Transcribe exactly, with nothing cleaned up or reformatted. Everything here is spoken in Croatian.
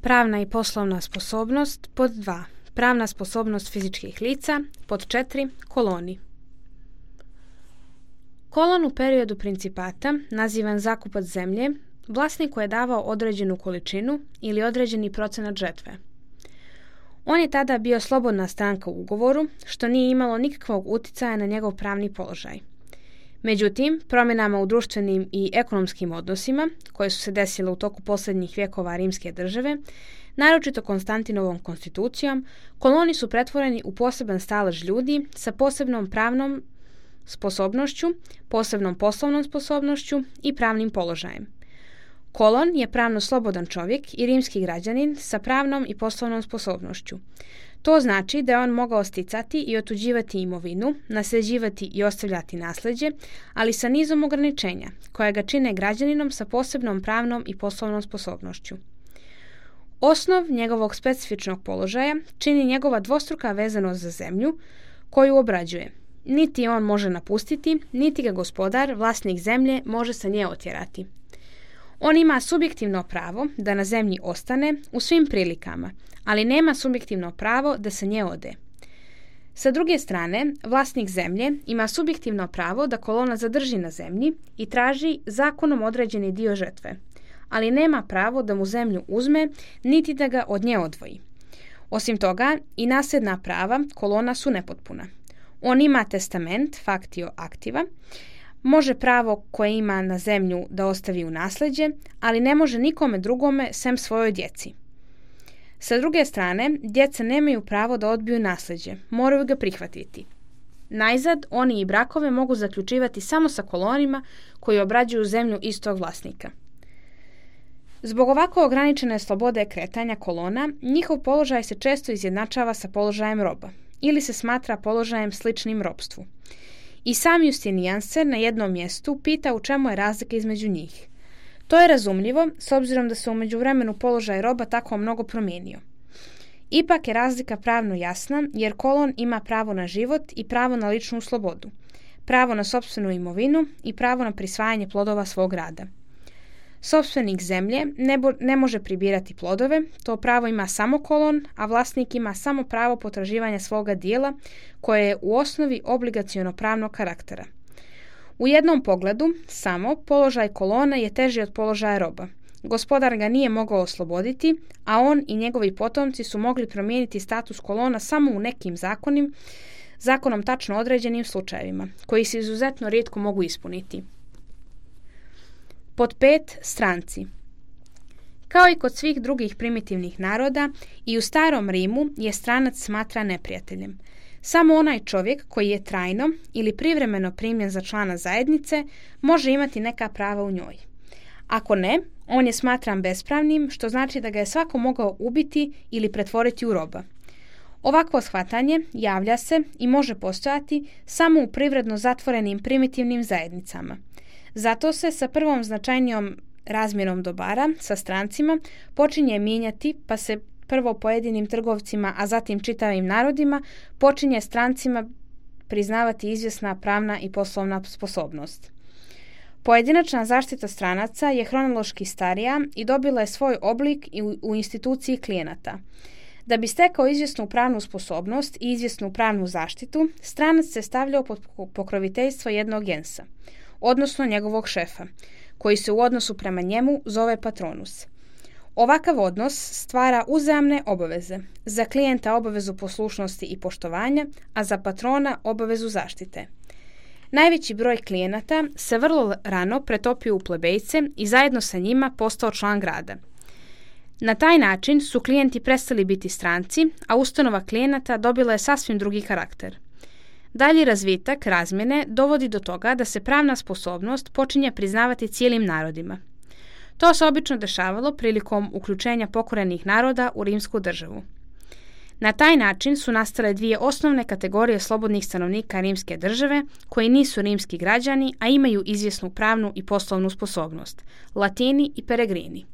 Pravna i poslovna sposobnost. Pod dva. Pravna sposobnost fizičkih lica. Pod četiri. Koloni. Kolon u periodu principata, nazivan zakupac zemlje, vlasniku je davao određenu količinu ili određeni procenat žetve. On je tada bio slobodna stranka u ugovoru, što nije imalo nikakvog uticaja na njegov pravni položaj. Međutim, promjenama u društvenim i ekonomskim odnosima, koje su se desile u toku posljednjih vjekova rimske države, naročito Konstantinovom konstitucijom, koloni su pretvoreni u poseban stalež ljudi sa posebnom pravnom sposobnošću, posebnom poslovnom sposobnošću i pravnim položajem. Kolon je pravno slobodan čovjek i rimski građanin sa pravnom i poslovnom sposobnošću. To znači da je on mogao sticati i otuđivati imovinu, nasljeđivati i ostavljati nasljeđe, ali sa nizom ograničenja, koja ga čine građaninom sa posebnom pravnom i poslovnom sposobnošću. Osnov njegovog specifičnog položaja čini njegova dvostruka vezanost za zemlju, koju obrađuje. Niti on može napustiti, niti ga gospodar, vlasnik zemlje, može sa nje otjerati. On ima subjektivno pravo da na zemlji ostane u svim prilikama, ali nema subjektivno pravo da se nje ode. Sa druge strane, vlasnik zemlje ima subjektivno pravo da kolona zadrži na zemlji i traži zakonom određeni dio žetve, ali nema pravo da mu zemlju uzme niti da ga od nje odvoji. Osim toga, i nasljedna prava kolona su nepotpuna. On ima testament, factio activa, može pravo koje ima na zemlju da ostavi u nasljeđe, ali ne može nikome drugome sem svojoj djeci. Sa druge strane, djeca nemaju pravo da odbiju nasljeđe, moraju ga prihvatiti. Najzad, oni i brakove mogu zaključivati samo sa kolonima koji obrađuju zemlju istog vlasnika. Zbog ovako ograničene slobode kretanja kolona, njihov položaj se često izjednačava sa položajem roba ili se smatra položajem sličnim ropstvu. I sam Justinijan se na jednom mjestu pita u čemu je razlika između njih. To je razumljivo, s obzirom da se u međuvremenu položaj roba tako mnogo promijenio. Ipak je razlika pravno jasna, jer kolon ima pravo na život i pravo na ličnu slobodu, pravo na sopstvenu imovinu i pravo na prisvajanje plodova svog rada. Sopstvenik zemlje ne, bo, ne može pribirati plodove, to pravo ima samo kolon, a vlasnik ima samo pravo potraživanja svoga dijela, koje je u osnovi obligaciono pravnog karaktera. U jednom pogledu, samo, položaj kolona je teži od položaja roba. Gospodar ga nije mogao osloboditi, a on i njegovi potomci su mogli promijeniti status kolona samo u nekim zakonim, zakonom tačno određenim slučajevima, koji se izuzetno rijetko mogu ispuniti. Pod pet. Stranci. Kao i kod svih drugih primitivnih naroda, i u starom Rimu je stranac smatra neprijateljem. Samo onaj čovjek koji je trajno ili privremeno primljen za člana zajednice može imati neka prava u njoj. Ako ne, on je smatran bespravnim, što znači da ga je svako mogao ubiti ili pretvoriti u roba. Ovakvo shvatanje javlja se i može postojati samo u privredno zatvorenim primitivnim zajednicama. Zato se sa prvom značajnijom razmjerom dobara, sa strancima, počinje mijenjati, pa se prvo pojedinim trgovcima, a zatim čitavim narodima, počinje strancima priznavati izvjesna pravna i poslovna sposobnost. Pojedinačna zaštita stranaca je hronološki starija i dobila je svoj oblik i u, u instituciji klijenata. Da bi stekao izvjesnu pravnu sposobnost i izvjesnu pravnu zaštitu, stranac se stavljao pod pokroviteljstvo jednog gensa, odnosno njegovog šefa, koji se u odnosu prema njemu zove patronus. Ovakav odnos stvara uzajamne obaveze, za klijenta obavezu poslušnosti i poštovanja, a za patrona obavezu zaštite. Najveći broj klijenata se vrlo rano pretopio u plebejce i zajedno sa njima postao član grada. Na taj način su klijenti prestali biti stranci, a ustanova klijenata dobila je sasvim drugi karakter. Dalji razvitak razmjene dovodi do toga da se pravna sposobnost počinje priznavati cijelim narodima. To se obično dešavalo prilikom uključenja pokorenih naroda u rimsku državu. Na taj način su nastale dvije osnovne kategorije slobodnih stanovnika rimske države koji nisu rimski građani, a imaju izvjesnu pravnu i poslovnu sposobnost – Latini i Peregrini.